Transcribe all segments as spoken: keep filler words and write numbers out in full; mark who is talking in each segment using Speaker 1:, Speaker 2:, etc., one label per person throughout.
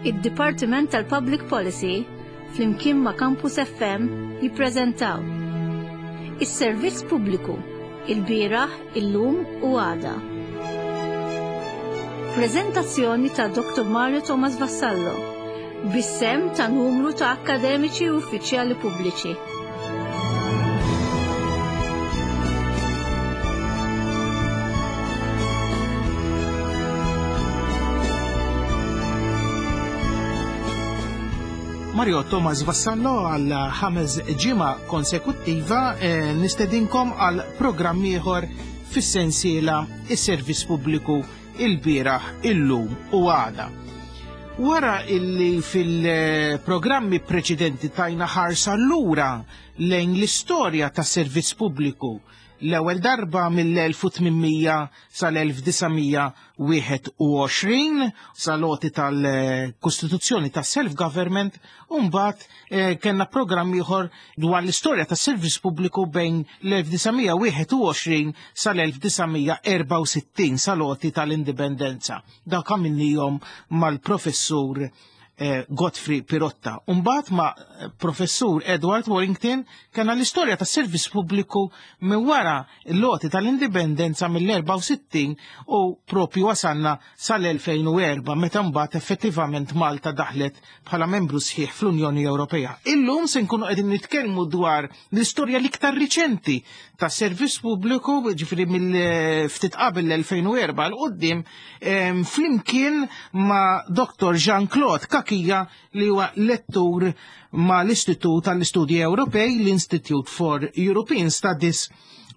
Speaker 1: Id-Dipartiment tal-Public Policy flimkien ma' Campus F M jippreżentaw Is-Servizz Pubbliku, il-bieraħ, illum u għada. Preżentazzjoni ta' Doctor Mario Thomas Vassallo bis-sehem ta' numru ta' akkademiċi u uffiċjali pubbliċi.
Speaker 2: Mario Thomas Vassallo għal ħames ġimgħa konsekuttiva eh, nistedinkom għal programm ieħor fis-sensiela Is-Servizz Pubbliku, il-bieraħ, illum u għada. Wara illi fil-programmi preċedenti tajna ħarsa lura lejn l-istorja tas servizz pubbliku, l-ewwel darba mill-elf u tmien mija sal-elf disa' mija wieħed u għoxrin sal-għoti tal-Kostituzzjoni tas self-government, u mbagħad eh, kellna programm ieħor dwar l-istorja tas servizz pubbliku bejn l-elf disa' mija wieħed u għoxrin sal-elf disa' mija erbgħa u sittin sal-għoti tal-indipendenza. Dak għamilnihom mal-professur eh, Godfrey Pirotta. Umbagħad ma' professur Edward Warrington kellna l-istorja tas servizz pubbliku minn wara l-għoti tal-indipendenza mill-erbgħa u sittin u propju wasanna sal-elfejn u erbgħa, meta mbagħad effettivament Malta daħlet bħala membru sħiħ fl-Unjoni Ewropea. Illum se nkunu qegħdin nitkellmu dwar l-istorja l-iktar riċenti tas servizz pubbliku, ġifieri mill-ftit qabel l-elfejn u erbgħa 'l quddiem, flimkien ma' Doctor Jean-Claude Cachia, li huwa lettur ma' l-Istitut tal-Istudji Ewropej, l-Institute for European Studies,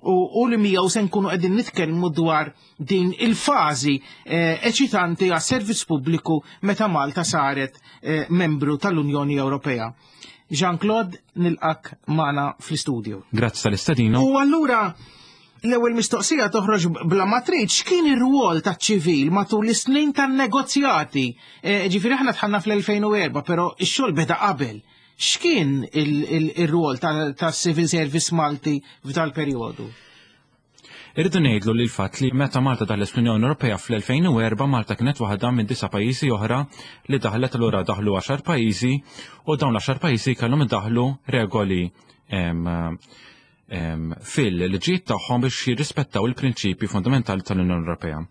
Speaker 2: u, u li miegħu se nkunu qegħdin nitkellmu dwar din il-fażi eh, eċitanti għas servizz pubbliku meta Malta saret eh, membru tal-Unjoni Ewropea. Jean-Claude, nilqgħek magħna fl-istudju.
Speaker 3: Grazzi tal-istedina.
Speaker 2: U allura l-ewwel mistoqsija toħroġ bla ma trid: x'kien ir-rwol taċ-ċivil matul is-snin tan-negozjati? Eh, Ġifieri aħna dħalna fl-elfejn u erbgħa, però x-xogħol beda qabel. X'kien il-rwol tas-Civil Service Malti f'dal perjodu?
Speaker 3: Irridu ngħidlu li l-fatt li meta Malta daħlet fl-Unjoni Ewropea fl-elfejn u erbgħa, Malta kienet waħda minn disa' pajjiżi oħra li daħlet. Allura daħlu għaxar pajjiżi u dawn l-għaxar pajjiżi kellhom idaħlu regoli em, em, fil-liġijiet tagħhom biex jirrispettaw il-prinċipji fundamentali tal-Unjoni Ewropea.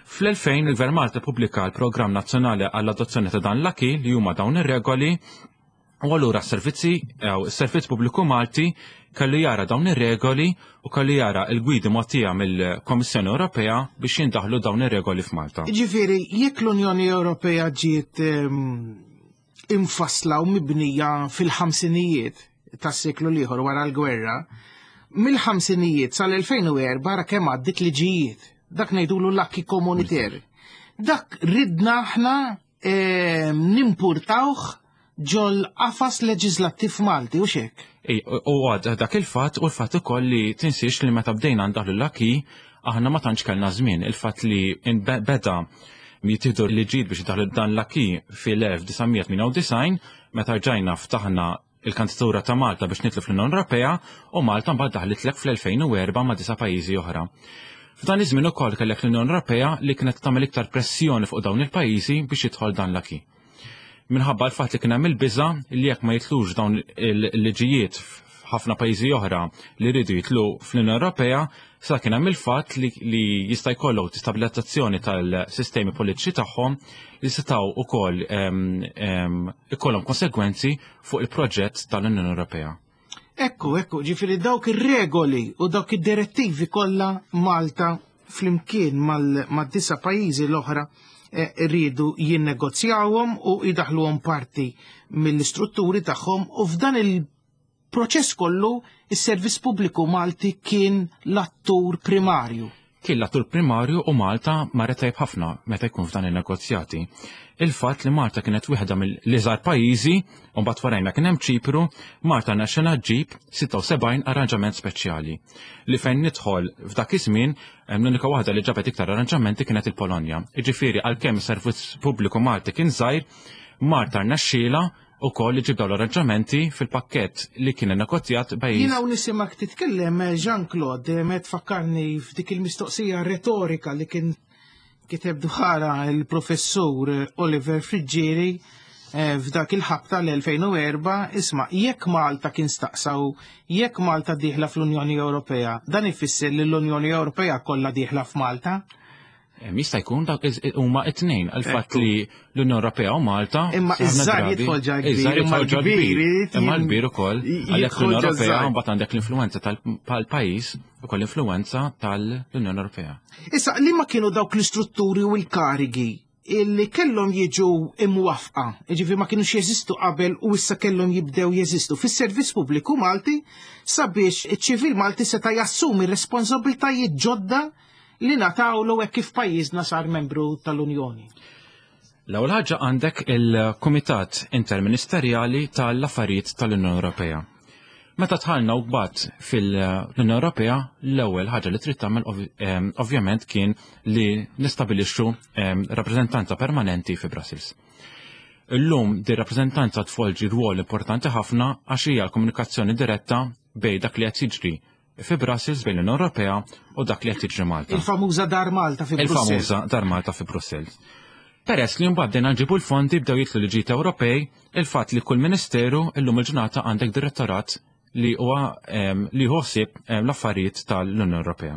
Speaker 3: Fl-elfejn il-Gvern Malta pubblika l-Programm Nazzjonali għall-adozzjoni ta' dan l-acquis, li huma dawn ir-regoli, u allura s-servizzi, jew is-servizz pubbliku Malti kellu jara dawn ir-regoli u kellu jara l-gwidi mogħtija mill-Kommissjoni Ewropea biex jindaħlu dawn ir-regoli f'Malta.
Speaker 2: Ġifieri, jekk l-Unjoni Ewropea ġiet em, imfassla u mibnija fil-ħamsinijiet tas-seklu l-ieħor wara l-gwerra, mill-ħamsinijiet sal-elfejn u erbgħa ara kemm għaddit liġijiet. Dak ngħidulu l-acquis communautaire. Dak ridna aħna em, nimpurtawh ġol qafas leġislattiv Malti u xek.
Speaker 3: Ej, u għad dak il-fatt u l-fatt ukoll li tinsiex li meta bdejna ndaħlu l-acquis aħna ma tantx kellna żmien. Il-fatt li beda jittieħdu liġijiet biex daħlu dan l-acquis fil-elf disa' mija tmienja u disgħin, meta rġajna ftaħna il-kandidatura ta' Malta biex nidħlu fl-Unjoni Ewropea, u Malta mbagħad daħlitlek fl-elfejn u erbgħa ma' disa' pajjiżi oħra. F'dan iż-żmien ukoll kellek l-Unjoni Ewropea li kienet tagħmel iktar pressjoni fuq dawn il-pajjiżi biex jidħol dan l-acquis. Minħabba l-fatt li kien hemm il-biża li jekk ma jitlux dawn il-liġijiet f'ħafna pajjiżi oħra li rridu jitlu fl-Unjoni Ewropea, sa kien hemm il-fatt li, li jista' jkollok destabilizzazzjoni tal-sistemi politiċi tagħhom li setgħu ukoll ikollhom konsegwenzi fuq il-proġett tal-Unjoni Ewropea.
Speaker 2: Ekku, ekku, ġifieri dawk ir-regoli u dawk id-direttivi kollha Malta flimkien mal-disa' pajjiżi l-oħra eh, rridu jinnegozjawhom u jidaħluhom parti mill-istrutturi tagħhom, u f'dan il-proċess kollu is-servizz pubbliku Malti kien l-attur primarju.
Speaker 3: Kien l-attur primarju u Malta marret tajb ħafna meta jkun f'dan il-negozjati. Il-fatt li Malta kienet wieħda mill-iżgħar pajjiżi, u mbagħad warajna kien hemm Ċipru, Malta rnexxielha ġġib sitta u sebgħin arranġament speċjali. Li fejn nidħol f'dak iż-żmien l-unika waħda li ġabet iktar arranġamenti kienet il-Polonja. Jiġifieri għalkemm is-servizz pubbliku Malti kien żgħir, Malta rnexxielha ukoll li ġib dawn l-arranġamenti fil-pakkett li kien negozjat bejn.
Speaker 2: Jiena u nisimak titkellem, Jean-Claude, me tfakkarni f'dik il-mistoqsija retorika li kien Kiteb dwarha il-professur Oliver Friggieri eh, f'dak il-ħabta l-elfejn u erbgħa, isma', jekk Malta kien staqsaw, jekk Malta dieħla fl-Unjoni Ewropea, dan ifisser li l-Unjoni Ewropea kollha dieħla f'Malta?
Speaker 3: Em, jista' jkun dak iż-, huma it-tnejn, għal-fatt li l-Unjoni Ewropea u Malta
Speaker 2: Imma
Speaker 3: ħafna
Speaker 2: iż-żgħar
Speaker 3: drabi
Speaker 2: jidħol ġa kbir,
Speaker 3: iż-żgħar
Speaker 2: imma
Speaker 3: jidħol ġa
Speaker 2: l-kbir
Speaker 3: kbir.
Speaker 2: irid
Speaker 3: Imma
Speaker 2: jin-
Speaker 3: l-kbir ukoll,
Speaker 2: j-
Speaker 3: għalhekk
Speaker 2: jidħol
Speaker 3: l-Unjoni
Speaker 2: ġa
Speaker 3: Ewropea
Speaker 2: żgħar.
Speaker 3: mbagħad għandek l-influenza tal-pajjiż ukoll l-influenza tal-Unjoni Ewropea.
Speaker 2: Issa, li ma kienu dawk l-istrutturi u l-karigi illi kellhom jiġu imwafqa, jiġifieri ma kienux jeżistu qabel u issa kellhom jibdew jeżistu fis-servizz pubbliku Malti sabiex iċ-ċivil Malti seta' jassumi responsabiltajiet ġodda li natawlu hekk kif pajjiżna sar membru tal-Unjoni.
Speaker 3: L-ewwel ħaġa għandek il-Kumitat Interministerjali tal-Affarijiet tal-Unjoni Ewropea. Meta dħalna u mbagħad fil-Unjoni Ewropea, l-ewwel ħaġa li trid tagħmel ovv-, em, ovvjament kien li nistabilixxu, em, rappreżentanza permanenti fi Brussels. Illum di rappreżentanza tvolġi rwol importanti ħafna għax hija l-komunikazzjoni diretta bejn dak li qed jiġri fi Brussels bejn l-Unjoni Ewropea u dak li qed jiġri Malta.
Speaker 2: Il-famuża Dar Malta fi Brussels.
Speaker 3: Il-famuża Dar Malta fi Brussels. Peress li mbagħad bdejna nġibu l-fondi bdew jidħlu liġijiet Ewropej, il-fatt li kull ministeru illum il-ġurnata għandek direttorat li huwa, em, li ħossib, em, l-affarijiet tal-Unjoni Ewropea.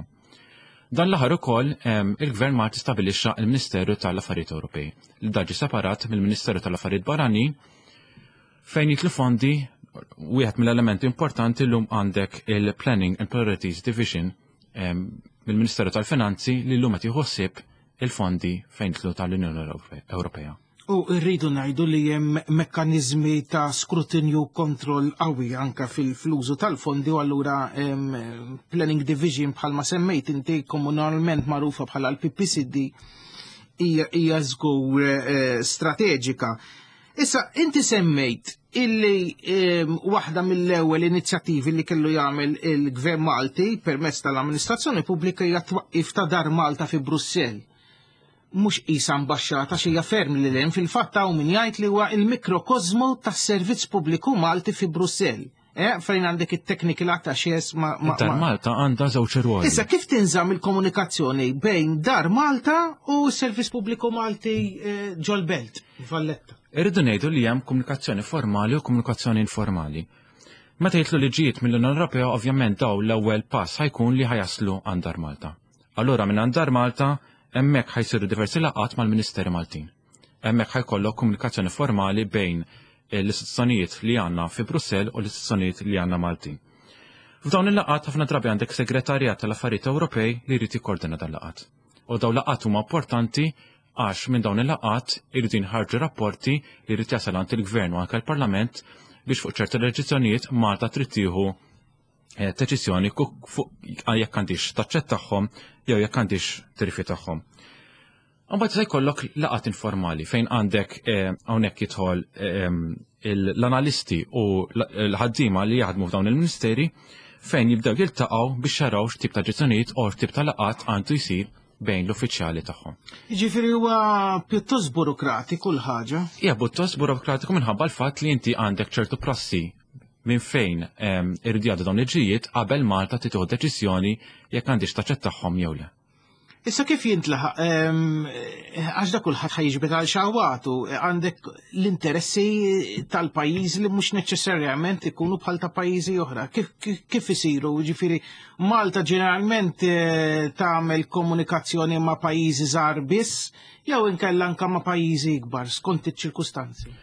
Speaker 3: Dan l-aħħar ukoll, em, il-Gvern Malti stabilixxa il-Ministeru tal-Affarijiet Ewropej, li daġi separat mill-Ministeru tal-Affarijiet Barranin, fejn jidħlu fondi. Wieħed mill-elementi importanti llum għandek il-Planning and Priorities Division, em, mill-Ministeru tal-Finanzi li llum qed jħossib il-fondi fejn jidħlu tal-Unjoni Ewrope-, Ewropea.
Speaker 2: U rridu ngħidu li hemm mekkaniżmi ta' skrutinju kontroll qawwi anka fil-flużu tal-fondi u allura, em, Planning Division bħalma semmejt inti komunalment magħrufa bħala l-P P C D hija, hija żgur, eh, strateġika. Issa, inti semmejt illi, em, waħda mill-ewwel inizjattivi li kellu jagħmel il-Gvern Malti permezz tal-amministrazzjoni pubblika hija twaqqif ta' Dar Malta fi Brussell. Mhux qisha ambaxxata xi hija ferm li hemm fil-fatt hawn min jgħid li huwa il-mikrokosmu tas-servizz pubbliku Malti fi Brussell. Eh, fejn għandek it-technical attaches ma, ma,
Speaker 3: Dar
Speaker 2: ma
Speaker 3: Malta għandha żewġ irwoli.
Speaker 2: Issa, kif tinżamm il-komunikazzjoni bejn Dar Malta u s-servizz pubbliku Malti, eh, ġol-Belt, Valletta?
Speaker 3: Irridu ngħidu li hemm komunikazzjoni formali u komunikazzjoni informali. Meta jidħlu liġijiet mill-Unjoni Ewropea, ovvjament daw l-ewwel pass ħajkun li ħajaslu għand Dar Malta. Allura minn għand Dar Malta hemmhekk ħajsiru diversi laqgħat mal-Ministeri Maltin. Hemmhekk ħajkollok komunikazzjoni formali bejn l-istituzzjonijiet li għandna fi Brussell u l-istituzzjonijiet li għandna Maltin. F'dawn il-laqgħat ħafna drabi għandek segretarjat tal-affarijiet Ewropej li jrid jikkordina dan laqgħat. U dawn laqgħat huma importanti għax minn dawn il-laqgħat irridu jinħarġu rapporti li jrid jasal għand il-Gvern u anke l-Parlament biex fuq ċerti leġizzjonijiet Malta trid tieħu, eh, deċiżjoni ku-, fuq jekk għandix taċċettahom jew jekk għandix tirrifjutahom. Imbagħad se jkollok laqgħat informali fejn għandek, eh, hawnhekk jidħol, eh, il-, l-analisti u l-, l-ħaddiema li jaħdmu f'dawn il-ministeri fejn jibdew jiltaqgħu biex jaraw x'tip ta' ġezzjonijiet u x'tip ta' laqgħat għandu jsir bejn l-uffiċjali tagħhom.
Speaker 2: Jiġifieri huwa pjuttost burokratiku l-ħaġa?
Speaker 3: Hija pjuttost burokratiku minħabba l-fatt li inti għandek ċertu prassi minn fejn, ehm, irridu jgħaddu dawn il-ġijiet qabel Malta tieħu deċiżjoni jekk għandix taċċettahom jew le.
Speaker 2: Issa kif jintlaħaq, ehm, għax da kulħadd ħajġbed għal xawatu, għandek l-interessi tal-pajjiż li mhux neċessarjament ikunu bħal ta' pajjiżi oħra. Kif, kif, kif isiru? Ġifieri Malta ġeneralment, eh, tagħmel komunikazzjoni ma' pajjiżi żgħar biss jew inkella anke ma' pajjiżi ikbar skont iċ-ċirkustanzi.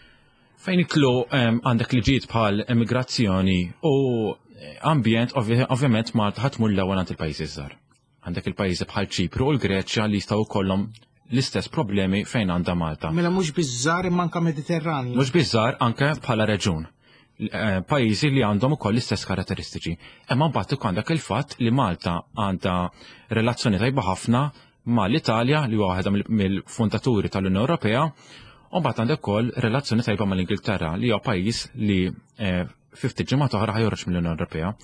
Speaker 3: Fejn itlu, ehm, għandek liġijiet bħal immigrazzjoni u ambjent, ovvja-, ovvjament Malta ħadd tmur l-ewwel għand il-pajjiżi żgħar. Għandek il-pajjiżi bħal Ċipru u l-Greċja li jistgħu jkollhom l-istess problemi fejn għandha Malta.
Speaker 2: Mela mhux biż-żgħar imma anke Mediterranju.
Speaker 3: Mhux biż-żgħar anke bħala reġun. Eh, pajjiżi li għandhom ukoll l-istess karatteristiċi. Imma mbagħad ukoll għandek il-fatt li Malta għandha relazzjoni tajba ħafna mal-Italja li huwa waħda mill-, mill-fundaturi tal-Unjoni Ewropea, u mbagħad għandek ukoll relazzjoni tajba mal-Ingilterra li huwa pajjiż li, eh, fi ftit ġimgħat oħra ħajjoħroġ mill-Unjoni Ewropea.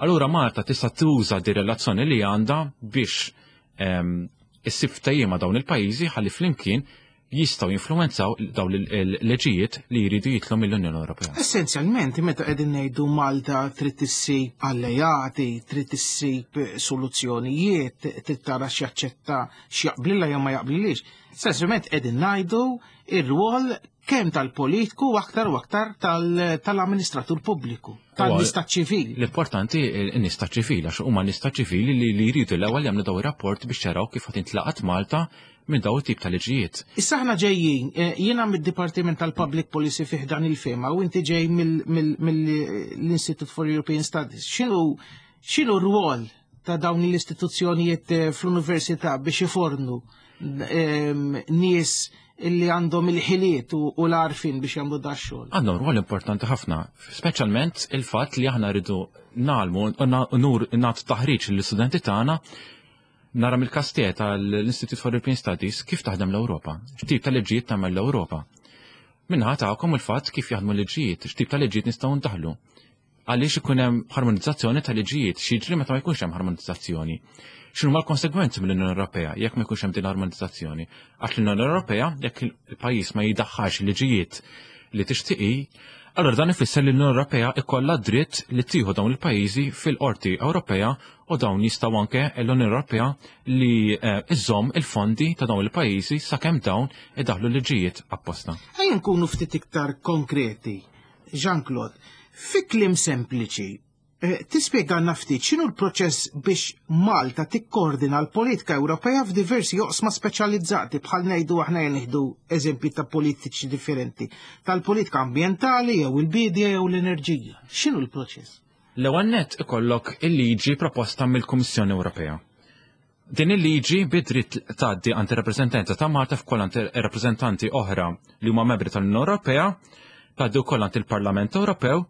Speaker 3: Allura Malta tista' tuża di relazzjoni li għandha biex, ehm, issib ftehim ma' dawn il-pajjiżi ħalli flimkien jistgħu jinfluwenzaw dawn il-leġijiet li jridu jitlu mill-Unjoni Ewropea.
Speaker 2: Essenzjalment, meta qegħdin ngħidu Malta trid issib allejati, trid issib soluzzjonijiet, trid tara x'jaċċetta, x'jaqblilha jew ma jaqblilix. Essenzjalment qegħdin ngħidu ir-rwol kemm tal-politiku u aktar u aktar tal-amministratur pubbliku, tan-nies taċ-ċivil.
Speaker 3: L-importanti n-nies taċ-ċivil, għax huma nies taċ-ċivili li, li jridu l-ewwel jagħmlu daw ir-rapport biex jaraw kif qed intlaqat Malta minn daw it-tip ta' liġijiet.
Speaker 2: Issa aħna ġejjin, eh, jiena mid-Dipartiment tal-Public Policy fih dan il-FEMA u inti ġej mill-Institute for European Studies. X'inhu x'inhu r-rwol ta' dawn l-istituzzjonijiet eh, fl-università biex ifornu ehm, nies illi għandhom il-ħiliet u l-għarfien biex jagħmlu da xogħol?
Speaker 3: Għandhom rwol importanti ħafna, speċjalment il-fatt li aħna rridu nagħmlu u nur nagħtu taħriġ lill-istudenti tagħna. Nara mill-kastiet tal-Institute for European Studies kif taħdem l-Ewropa, x'tip ta' liġijiet tagħmel l-Ewropa. Minħa tagħkom il-fatt kif jaħdmu liġijiet, x'tip ta' liġijiet nistgħu ndaħlu. Għaliex ikun hemm harmonizzazzjoni ta' liġijiet, x'jiġri meta ma jkunx hemm harmonizzazzjoni. X'inhu l-konsegwenzi mill-Unjoni Ewropea jekk ma jkunx hemm din l-armonizzazzjoni? Għax l-Unjoni Ewropea, jekk il-pajjiż ma jidaħħalx liġijiet li tixtieqi, allora dan ifisser li l-Unjoni Ewropea ikollha dritt li tieħu dawn il-pajjiżi fil-Qorti Ewropea u dawn jistgħu anke l-Unjoni Ewropea li eh, iżomm il-fondi ta' dawn il-pajjiżi sakemm dawn idaħlu liġijiet apposta.
Speaker 2: Ejja nkunu ftit iktar konkreti. Jean-Claude, fi kliem sempliċi, eh, tispjegana ftit x'inhu l-proċess biex Malta tikkoordina l-politika Ewropea f'diversi oqsma speċjalizzati, bħal ngħidu aħna nieħdu eżempji ta' politiċi differenti, tal-politika ambjentali jew il-bidja jew l-enerġija. X'inhu l-proċess?
Speaker 3: L-ewwel nett ikollok il-liġi proposta mill-Kummissjoni Ewropea. Din il-liġi bidrit tgħaddi għand ir-rappreżentanza ta' Malta f'koll għand rappreżentanti oħra li huma membri tal-Unjoni Ewropea, tgħaddi wkoll għand il-Parlament Ewropew,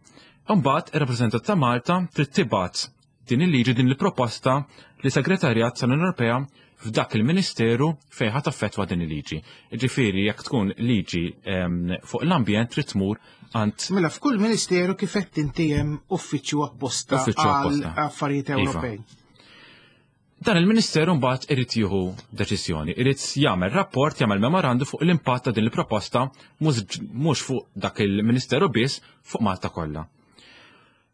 Speaker 3: u mbagħad ir-rappreżentant ta' Malta trid tibgħat din il-liġi, din il-proposta li segretarjat tal-Unjoni Ewropea f'dak il-Ministeru fejn ħa taffettwa din il-liġi. Ġifieri jekk tkun liġi ehm, fuq l-ambjent trid tmur għand
Speaker 2: Mela f'kull ministeru kif qed inti hemm uffiċċju apposta
Speaker 3: Uffiċċju
Speaker 2: għal
Speaker 3: apposta.
Speaker 2: affarijiet
Speaker 3: Iva.
Speaker 2: Ewropej.
Speaker 3: Dan il-Ministeru mbagħad irid jieħu deċiżjoni, irid jagħmel rapport, jagħmel memorandu fuq l-impatt ta' din il-proposta mhux mhux fuq dak il-Ministeru biss, fuq Malta kollha.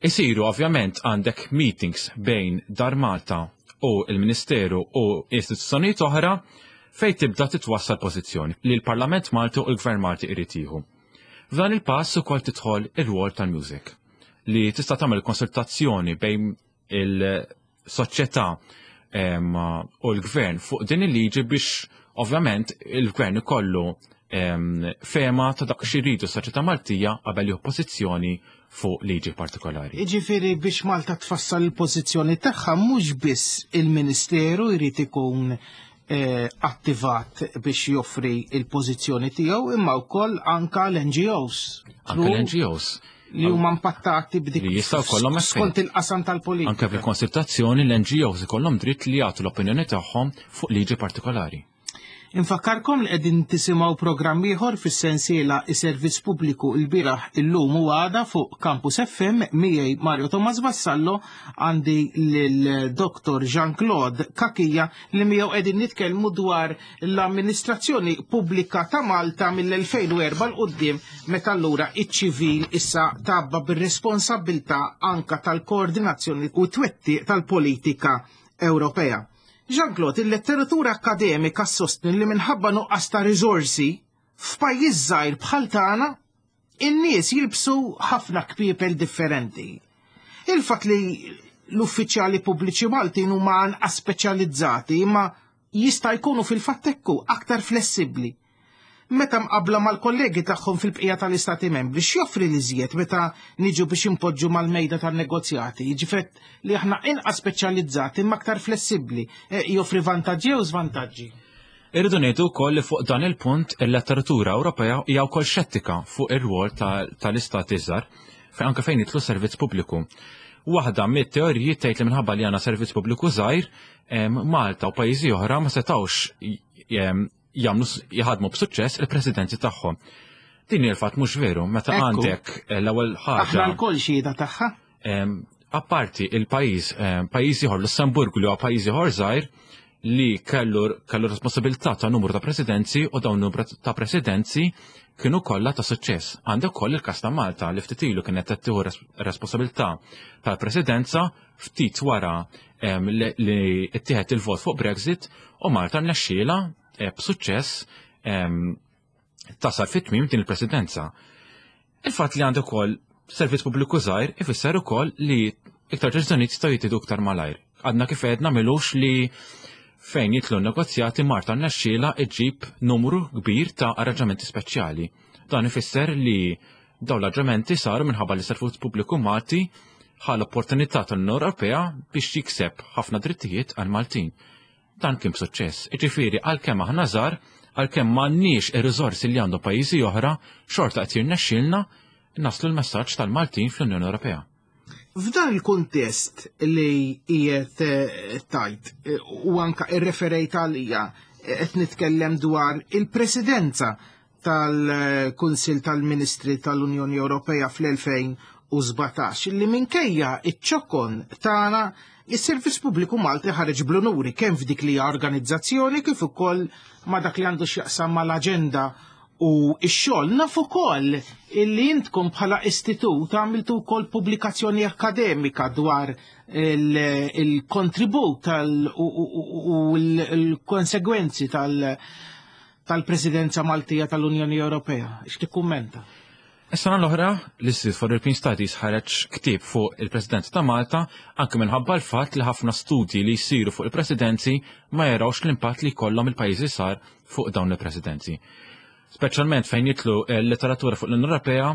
Speaker 3: Isiru ovvjament għandek meetings bejn Dar Malta u il-Ministeru u istituzzjonijiet oħra fejn tibda titwassal pożizzjoni li l-Parlament Malti u l-Gvern Malti irid jieħu. F'dan il-pass ukoll tidħol ir-rwol tal-music li tista' tagħmel konsultazzjoni bejn il-soċjetà em, u l-gvern fuq din il-liġi biex ovvjament il-gvern ikollu em, fehma ta' dak xi jridu s-soċjetà Maltija qabel jieħu pożizzjoni fuq liġi partikolari.
Speaker 2: Jiġifieri biex Malta tfassal il-pożizzjoni tagħha, mhux biss il-Ministeru jrid ikun eh, attivat biex joffri il-pożizzjoni tiegħu, imma wkoll anka l-N G Os.
Speaker 3: Anke l-N G Os
Speaker 2: li huma impattati b'dik
Speaker 3: li jistgħu jkollhom effett.
Speaker 2: Skont il-qasam tal-politika.
Speaker 3: Anke fil-konsultazzjoni l-N G Os ikollhom dritt li jagħtu l-opinjoni tagħhom fuq liġi partikolari.
Speaker 2: Infakkarkom li qegħdin tisimgħu programm ieħor fis-sensiela Is-Servizz Pubbliku l-bieraħ, illum u għada fuq Campus F M. Miegħi Mario Thomas Vassallo, għandi lil Dottor Jean-Claude Cachia li miegħu qegħdin nitkellmu dwar l-amministrazzjoni pubblika ta' Malta mill-elfejn u erbgħa 'l quddiem, meta allura iċ-ċivil issa tabba bir-responsabbiltà anka tal-koordinazzjoni u twettiq tal-politika Ewropea. Jean-Claude, il-letteratura akademika sostni li minħabba nuqqas ta' riżorsi f'pajjiż żgħir bħal tagħna, in-nies jilbsu ħafna kpiepel differenti. Il-fatt li l-uffiċjali pubbliċi Maltin huma anqas speċjalizzati imma jista' jkunu fil-fatt ekku aktar flessibbli meta mqabla mal-kollegi tagħhom fil-bqija tal-Istati Membri, x'joffri li żjed meta niġu biex impoġġu mal-mejda tan-negozjati? Jiġifieri li aħna inqas speċjalizzati imma aktar flessibbli, eh, joffri vantaġġi jew żvantaġġi?
Speaker 3: Irridu ngħidu wkoll li fuq dan il-punt il-letteratura Ewropea hija wkoll xettika fuq ir-rwol tal-istati żgħar fejn anke fejn jidħlu servizz pubbliku. Waħda mit-teoriji tgħid li minħabba li għandna servizz pubbliku żgħir, Malta u pajjiżi oħra ma setgħux jagħmlu jaħdmu b'suċċess il-presidenzi tagħhom. Din il-fatt mhux veru, meta għandek eh, l-ewwel ħaġa.
Speaker 2: Aħna lkoll xhieda tagħha.
Speaker 3: Apparti il-pajjiż, pajjiż ieħor, Lussemburgu, li huwa pajjiż ieħor żgħir, li kellu kellu responsabilità ta' numru ta' presidenzi u dawn numru ta' presidenzi kienu kollha ta' suċċess. Għandek ukoll il-każ ta' Malta li ftit ilu kienet qed tieħu responsabilità tal-presidenza ftit wara li ttieħed il-vot fuq Brexit u Malta rnexxielha eh, b'suċċess tasal fit-tmiem din il-presidenza. Il-fatt li għandu ukoll servizz pubbliku żgħir ifisser ukoll li iktar deċiżjonijiet jistgħu jittieħdu iktar malajr. Għadna kif għedna m'ilux li fejn jidħlu negozjati Malta rnexxielha iġib numru kbir ta' arranġamenti speċjali. Dan ifisser li dawn l-arranġamenti saru minħabba li servizz pubbliku Malti ħa l-opportunità tal-Unjoni Ewropea biex jikseb ħafna drittijiet għal Maltin. Dan kien b'suċċess. Iġifieri għalkemm aħna żgħar, għalkemm m'għandniex ir-riżorsi li għandu pajjiżi oħra, xorta qed jirnexxielna naslu l-messaġġ tal-Maltin fl-Unjoni Ewropea.
Speaker 2: F'dan il-kuntest li qiegħed eh, tajt eh, u anka irreferejt għalija eh, qed nitkellem dwar il-presidenza tal-Kunsil tal-Ministri tal-Unjoni Ewropea fl-elfejn u sbatax li minkejja iċ-ċokon tagħna is-Servizz Pubbliku Malti ħareġ bl-unuri kemm f'dik li hija organizzazzjoni kif ukoll ma' dak li għandu x'jaqsam mal-aġenda u x-xogħol. Naf ukoll illi intkom bħala istitut għamiltu wkoll pubblikazzjoni akademika dwar il-kontribut u l-konsegwenzi tal-Presidenza Maltija tal-Unjoni Ewropea. X'tikkummenta?
Speaker 3: Is-sena l-oħra, l-Institute for European Studies ħareġ ktieb fuq il-Presidenza ta' Malta anke minħabba l-fatt li ħafna studji li jsiru fuq il-presidenzi ma jarawx l-impatt li jkollhom il-pajjiżi żgħar fuq dawn il-presidenzi. Speċjalment fejn jidħlu l-literatura fuq l-Unjoni Ewropea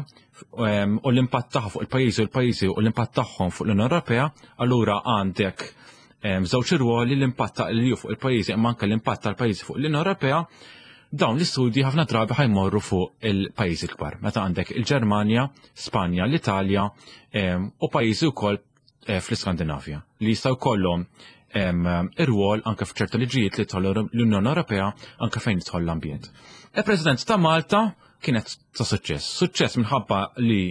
Speaker 3: u l-impatt tagħha fuq il-pajjiżi u l-pajjiżi u l-impatt tagħhom fuq l-Unjoni Ewropea, allura għandek żewġ irwoli, l-impatt ta' l fuq il-pajjiżi imma anke l-impatt tal-pajjiżi fuq l-Unjoni Ewropea. Dawn l-istudji ħafna drabi ħa jmorru fuq il-pajjiżi kbar. Meta għandek il-Ġermanja, Spanja, l-Italja u pajjiżi wkoll eh, fl-Iskandinavja li jistgħu jkollhom ir-rwol anke f'ċerta liġijiet li tidħol l-Unjoni Ewropea, anke fejn jidħol l-ambjent. Il-President ta' Malta kienet ta' suċċess. Suċċess minħabba li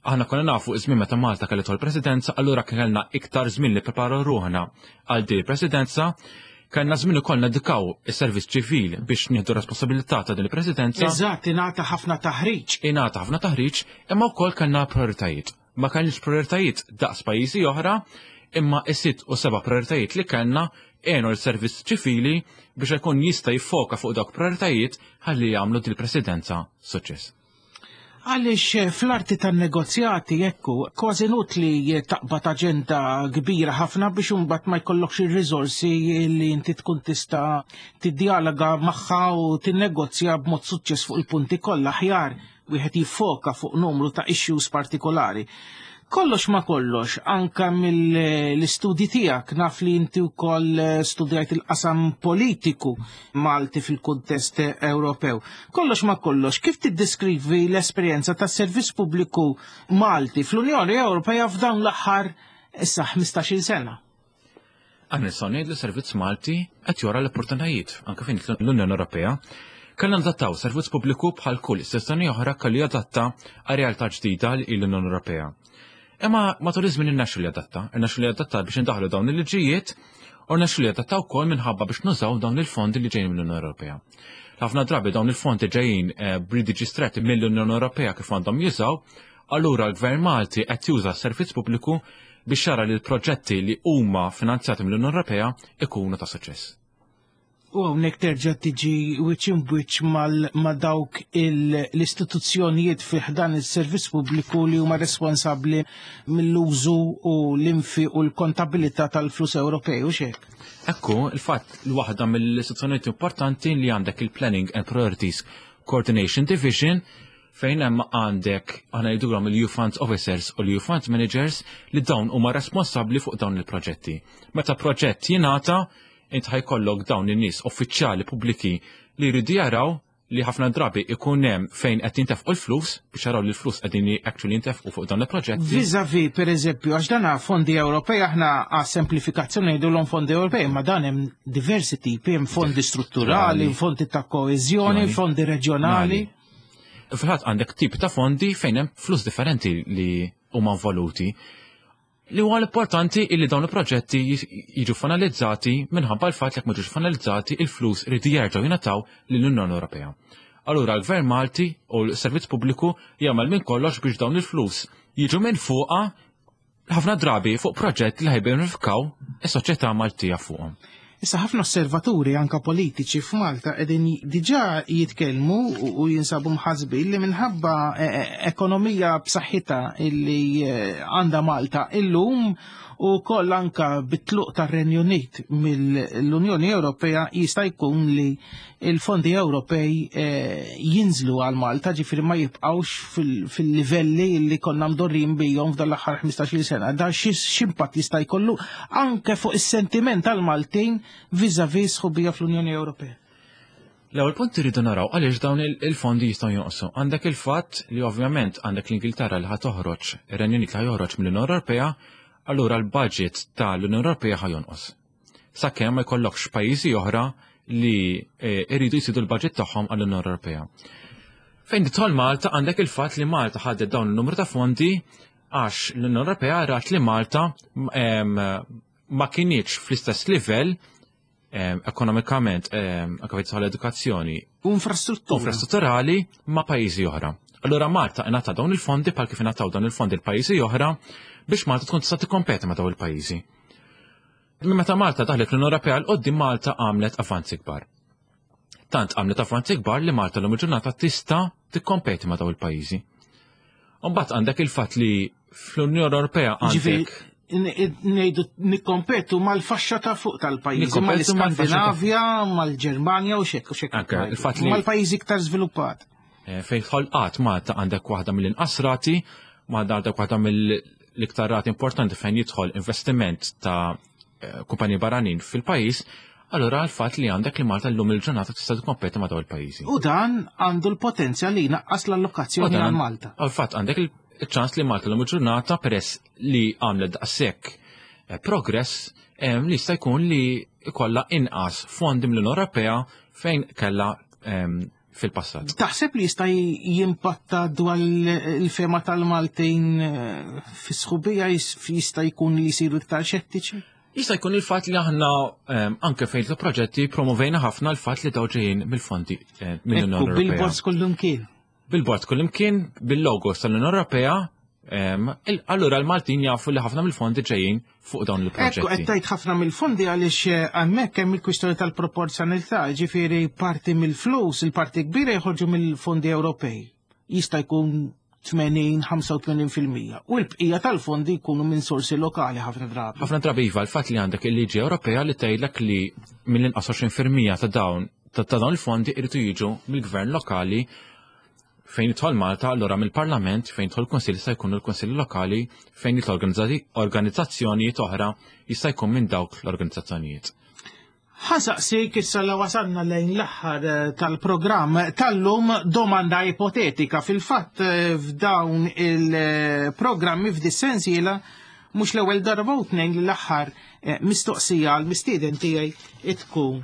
Speaker 3: aħna konna nafu iż-żmien meta Malta kellet l-presidenza, allura kellna iktar żmien li preparaw ruħna għal din il-presidenza. Kellna żmien ukoll nedikaw is-servizz ċivil biex nieħdu responsabilità ta' din il-presidenza.
Speaker 2: Eżatt, ingħata ħafna taħriġ.
Speaker 3: Ingħata ħafna taħriġ, imma wkoll kellna prioritajiet. Ma kellniex prioritajiet daqs pajjiżi oħra, imma is-sitt u seba' prioritajiet li kellna għenu l-servizz ċivili biex ikun jista' jiffoka fuq dawk prioritajiet ħalli jagħmlu din il-presidenza suċċess.
Speaker 2: Għaliex eh, fl-arti tan-negozjati ekku, kważi inutli taqbad aġenda kbira ħafna biex imbagħad ma jkollokx ir-riżorsi li inti tkun tista' tiddialoga magħha u tinnegozja b'mod suċċess fuq il-punti kollha. Aħjar wieħed jiffoka fuq numru ta' issues partikolari. Kollox ma kollox, anka mill-istudji tiegħek naf li inti wkoll studjajt il-qasam politiku Malti fil-kuntest Ewropew. Kollox ma kollox, kif tiddeskrivi l-esperjenza tas servizz pubbliku Malti fl-Unjoni Ewropea f'dawn l-aħħar issa ħmistax-il sena?
Speaker 3: Aħna nistgħu ngħidu li servizz Malti qed jara l-opportunitajiet anke fejn l-Unjoni Ewropea. Kellna nadattaw servizz pubbliku bħal kull istituzzjoni oħra kellu jadatta għal realtà ġdida li l-Unjoni Ewropea. Imma matul iż-żmien irnexxielu li adatta, irnexxielu li adatta biex indaħlu dawn il-liġijiet u rnexxielu li adatta wkoll minħabba biex nużaw dawn il-fondi li ġejjin mill-Unjoni Ewropea. Ħafna drabi dawn il-fondi ġejjin eh, b'liġi stretti mill-Unjoni Ewropea kif għandhom jużaw, allura l-Gvern Malti qed juża s-servizz pubbliku biex jara li l-proġetti li huma finanzjati mill-Unjoni Ewropea ikunu ta' suċċess.
Speaker 2: U hawnhekk terġa' tiġi wiċċ imbwiċċ ma' dawk l-istituzzjonijiet fi ħdan is-servizz pubbliku li huma responsabbli mill-użu u l-infiq u l-kontabilità tal-flus Ewropej u xek.
Speaker 3: Ekku, il-fatt l waħda mill-istituzzjonijiet importanti li għandek il-Planning and Priorities Coordination Division, fejn hemm għandek, aħna ngħidulhom, il-E U Funds Officers u l-E U Funds Managers, li dawn huma responsabbli fuq dawn il-proġetti. Meta proġett jingħata, int ħa jkollok dawn in-nies uffiċjali pubbliki li jridu jaraw li ħafna drabi ikun hemm fejn qed jintefqu l-flus biex jaraw li l-flus qegħdin actually jintefqu fuq dawn il-proġetti.
Speaker 2: Vis-a-vis, per eżempju, għax dana fondi Ewropej, aħna għas semplifikazzjoni ngħidulhom fondi Ewropej, ma dan hemm diversi tipi, hemm fondi strutturali, fondi ta' koeżjoni, fondi reġjonali.
Speaker 3: Fil-fatt għandek tip ta' fondi fejn hemm flus differenti li huma involuti. Li huwa l-importanti illi dawn il-proġetti jiġu finalizzati minħabba l-fatt li jekk ma jiġux finalizzati, il-flus iridu jerġgħu jingħataw lill-Unjoni Ewropea. Allura l-Gvern Malti u l-Servizz Pubbliku jagħmel minn kollox biex dawn il-flus jiġu minn fuqa ħafna drabi fuq proġett li ħa jibbenefikaw is-soċjetà Maltija fuqhom.
Speaker 2: Issa, ħafna osservaturi, anka politiċi f'Malta, qegħdin diġà jitkellmu u jinsabu mħasbin li minħabba eh, eh, ekonomija b'saħħitha illi eh, għandha Malta illum u koll anka bit-tluq tar-Renju Unit mill-Unjoni Ewropea, jista' jkun li il-fondi Ewropej jinżlu għal Malta, ġifieri ma jibqgħux fil-livelli li konna mdorrin bihom f'dan l-aħħar ħmistax-il sena. Da x'impatt jista' jkollu anke fuq is-sentiment tal-Maltin vis-a-vis sħubija fl-Unjoni Ewropea?
Speaker 3: L-ewwel punt, irridu naraw għaliex dawn il-fondi jistgħu jonqsu. Għandek il-fatt li ovvjament għandek l-Ingilterra li ħa toħroġ, ir-Renju Unit li ħa joħroġ mill-Unjoni Ewropea, allura l-budget tal-Unjoni Ewropea ħa jonqos. Sakemm ma jkollokx pajjiżi oħra li eh, iridu jżidu l-budget tagħhom għall-Unjoni Ewropea. Fejn tidħol Malta, għandek il-fatt li Malta ħadet dawn il-numru ta' fondi għax l-Unjoni Ewropea rat li Malta ma kinitx fl-istess livell ekonomikament, anke fejn l-edukazzjoni
Speaker 2: u infrastruttura
Speaker 3: infrastrutturali ma' pajjiżi oħra. Allura Malta ingħata dawn il-fondi bħal kif ingħataw dawn il-fondi l-pajjiżi oħra biex Malta tkun tista' tikkompeti ma' dawn il-pajjiżi. Meta Malta daħlet l-Unjoni Ewropea 'l quddiem, Malta għamlet avanzi kbar. Tant għamlet avanzi kbar li Malta l ġurnata tista' tikkompeti ma' dawn il-pajjiżi. Mbagħad għandek il-fatt li fl-Unjoni Ewropea għandek
Speaker 2: Ngħidu nikkompetu mal-faxxa ta' fuq tal-pajjiżi, mal-Iskandinavja, mal-Ġermanja u xek u xek. Mal-pajjiżi iktar żviluppat.
Speaker 3: Eh, fejn ħolqat Malta għandek waħda mill-inqas rati, Malta għandek waħda mill-iktar rati importanti fejn jidħol investiment ta' eh, kumpaniji barranin fil-pajjiż, allura l-fatt li għandek li Malta llum il-ġurnata tista' tikkompeti ma' dawn il-pajjiżi.
Speaker 2: U dan għandu l-potenzjal li jnaqqas l-allokazzjoni għal Malta.
Speaker 3: Għal-fatt għandek il-ċans li Malta llum il-ġurnata, peress li għamlet daqshekk eh, progress, li jista' jkun li ikolla inqas fondi mill-Unjoni Ewropea fejn kella fil-passat.
Speaker 2: Taħseb li jista' jimpatta dwar il-fehma tal-Maltin eh, fis-sħubija, jista' jkun li jsiru iktar xettiċi?
Speaker 3: Jista' jkun il-fatt li aħna anke fejn il-proġetti promovejna ħafna l-fatt li daw ġejjin mill-fondi eh, mill-Unjoni Ewropea.
Speaker 2: Billboards kullimkien.
Speaker 3: Billboards kullimkien, bil-logos tal-Unjoni Ewropea. Allura l-Maltin jafu li ħafna mill-fondi ġejjin fuq dawn il-proġetti.
Speaker 2: Ekku, qed tgħid ħafna mill-fondi għaliex eh, hemmhekk hemm il-kwistjoni tal-proporzjonalità, ġifieri parti mill-flus, il-parti kbira jħorġu mill-fondi Ewropej. Jista' jkun tmenin-ħamsa u tmenin fil-mija. U l-bqija tal-fondi jkunu minn sorsi lokali ħafna drabi.
Speaker 3: Ħafna drabi iva, l-fatt li għandek il-liġi Ewropea li tgħidlek li mill-inqas għoxrin fil-mija ta' dawn ta' dawn il-fondi irridu jiġu mill-gvern lokali. Fejn jidħol Malta, allura mill-Parlament, fejn jidħol kunsill jista' jkun il-kunsilli lokali, fejn jidħol organizzazzjonijiet oħra jista' jkun minn dawk l-organizzazzjonijiet.
Speaker 2: Ħa nsaqsik issa la wasalna lejn l-aħħar eh, tal-programm tal-lum domanda ipotetika. Fil-fatt eh, f'dawn il-programmi f'dis-sensiela mhux l-ewwel darba u tnejn li l-aħħar eh, mistoqsija għal mistieden tiegħi tkun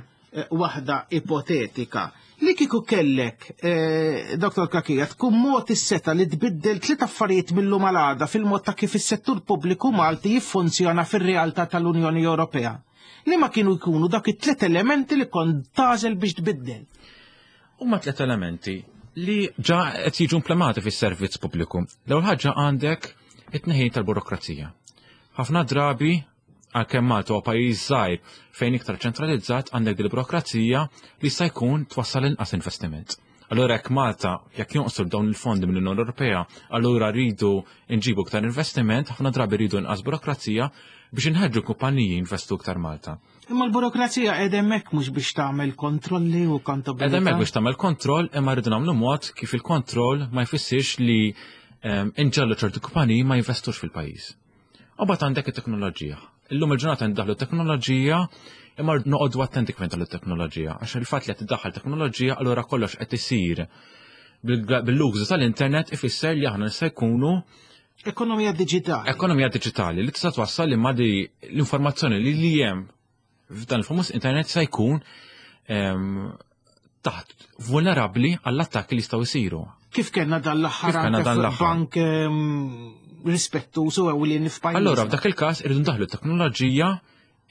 Speaker 2: waħda ipotetika. Li kieku kellek, eh, Doktor Cachia, tkun mogħti s-setgħa li tbiddel tliet affarijiet mill-lum għal għada fil-mod ta' kif is-settur pubbliku Malti jiffunzjona fir-realtà tal-Unjoni Ewropea. Li ma kienu jkunu dak it-tliet elementi li kont tagħżel biex tbiddel?
Speaker 3: Huma tliet elementi li ġa qed jiġu implementati fis-servizz pubbliku. L-ewwel ħaġa, għandek it-tneħħi tal-burokrazija. Ħafna drabi, għalkemm Malta huwa pajjiż żgħir fejn iktar ċentralizzat, għandek dil burokrazija li jista' jkun twassal inqas investiment. Allura jekk Malta, jekk jonqsu dawn il-fondi mill-Unjoni Ewropea, allura rridu nġibu iktar investiment, ħafna drabi rridu inqas burokrazija biex inħeġġu kumpaniji jinvestu iktar Malta.
Speaker 2: Imma l-burokrazija qiegħda hemmhekk mhux biex tagħmel kontrolli u kontabilità?
Speaker 3: Qiegħda hemmhekk biex tagħmel kontroll, imma rridu nagħmlu mod kif il-kontroll ma jfissirx li ehm, inġegħlu ċertu kumpaniji ma jinvestux fil-pajjiż. U mbagħad għandek it-teknoloġija. Illum il-ġurnata ndaħlu teknoloġija, imma noqogħdu attenti kif indaħlu teknoloġija, għax il-fatt li qed tiddaħħal teknoloġija, allura kollox qed isir bil-użu tal-internet, ifisser li aħna nista' jkunu
Speaker 2: Ekonomija digitali.
Speaker 3: Ekonomija digitali li tista' twassal li ma di l-informazzjoni li li hemm f'dan il-famuż internet se jkun taħt vulnerabbli għall-attakki li jistgħu jsiru.
Speaker 2: Kif kellna dan l-aħħar bank rispettuż u ewlieni f'pajjiżna.
Speaker 3: Allura f'dak il-każ irridu ndaħlu teknoloġija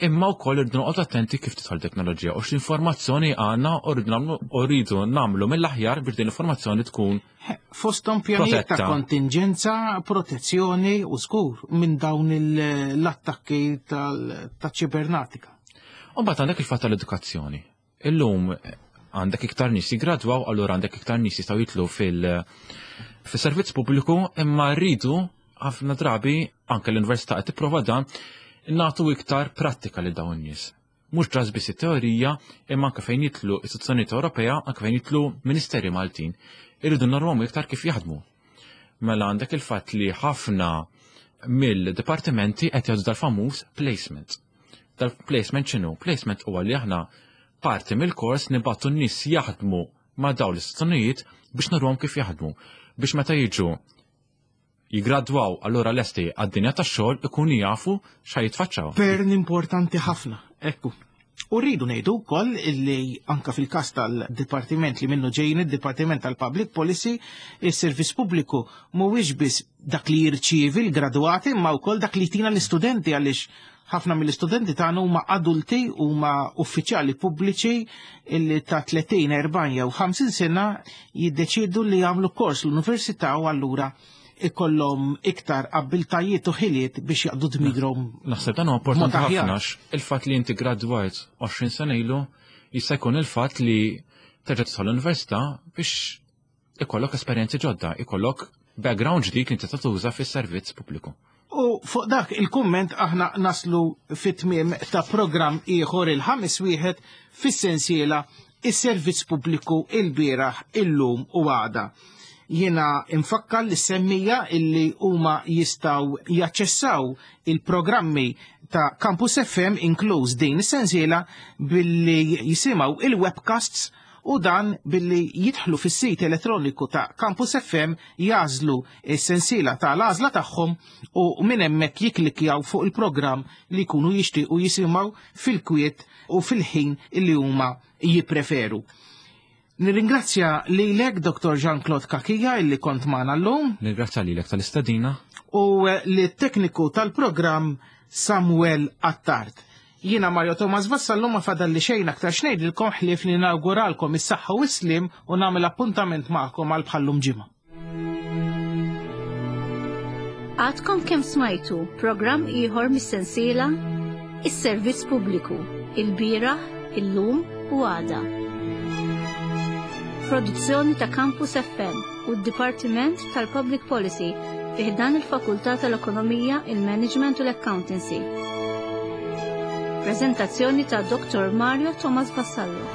Speaker 3: imma wkoll irridu noqgħod attenti kif tidħol teknoloġija u x'informazzjoni għandna u rridu nagħmlu u rridu nagħmlu mill-aħjar biex din l-informazzjoni tkun
Speaker 2: Fosthom pjanijiet ta'
Speaker 3: protetta.
Speaker 2: kontingenza, protezzjoni u żgur minn dawn il- l-attakki tal-ċibernatika.
Speaker 3: U mbagħad għandek il-fatt tal-edukazzjoni. Illum eh, għandek iktar nies jigradwaw, allura għandek iktar nies jistgħu jitlu fil fis-servizz pubbliku, imma rridu ħafna drabi anke l-università qed tipprova dan nagħtu iktar prattika lil dawn in-nies. Mhux ġas biss it-teorija, imma anke fejn jitlu istituzzjonijiet Ewropea, anke fejn jitlu ministeri Maltin. Irridu normhom iktar kif jaħdmu. Mela għandek il-fatt li ħafna mill-dipartimenti qed jgħidu dal-famuż placement. Dal-placement x'inhu? Placement huwa li aħna parti mill-kors nibgħatu n-nies jaħdmu ma' dawn l-istituzzjonijiet biex nurhom kif jaħdmu. Biex meta jiġu jigradwaw allura lesti għad-dinja tax-xogħol ikunu jafu x'ħa jitfaċċaw.
Speaker 2: Pern importanti ħafna, ekku. U rridu ngħidu wkoll illi anka fil-każ tal-dipartiment li minnu ġejjin id-Dipartiment tal-Public Policy, is-servizz pubbliku mhuwiex biss dak li jirċievi l-gradwati imma wkoll dak li jtina l-istudenti għaliex ħafna mill-istudenti tagħna huma adulti huma uffiċjali pubbliċi illi ta' tletin, erbgħin jew ħamsin sena jiddeċiedu li jagħmlu kors l-università u allura ikollhom iktar abbiltajiet u ħiliet biex jaqdu dmirhom.
Speaker 3: Naħseb dan huwa importanti
Speaker 2: Mod aħjar.
Speaker 3: ħafna għax il-fatt li inti gradwajt għoxrin sena ilu jista' jkun il-fatt li terġa' tidħol l-università biex ikollok esperjenzi ġodda, ikollok background ġdid li inti tuża fis-servizz pubbliku.
Speaker 2: U fuq dak il-kumment aħna naslu fit-tmiem ta' programm ieħor, il-ħames wieħed fis-sensiela Is-Servizz Pubbliku il-bieraħ, illum u għada. Jiena infakkar lis-semmiegħa illi huma jistgħu jaċċessaw il-programmi ta' Campus F M inkluż din is-sensiela billi jisimgħu il-webcasts u dan billi jidħlu fis-sit elettroniku ta' Campus F M, jagħżlu is-sensiela ta' l-għażla tagħhom u minn hemmhekk jiklikjaw fuq il-programm li jkunu jixtiequ jisimgħu fil-kwiet u fil-ħin illi huma jippreferu. Nirringrazzja lilek, Doktor Jean-Claude Cachia, illi kont magħna llum.
Speaker 3: Nirringrazzja lilek tal-istedina.
Speaker 2: U lit-tekniku tal-programm Samuel Attard. Jiena Mario Thomas Vassallo, ma fadalli xejn aktar x'ngħidilkom ħlief li nawguralkom is-saħħa u s-slim u nagħmel appuntament magħkom għal bħallum ġimgħa.
Speaker 1: Għadkom kemm smajtu programm ieħor mis-sensiela Is-Servizz Pubbliku, il-bieraħ, illum u għada. Produzzjoni ta' Campus F M u d-Dipartiment tal-Public Policy fi ħdan il-Fakultà tal-Ekonomija, il-Management u l-Accountancy. Prezentazzjoni ta' Doktor Mario Thomas Vassallo.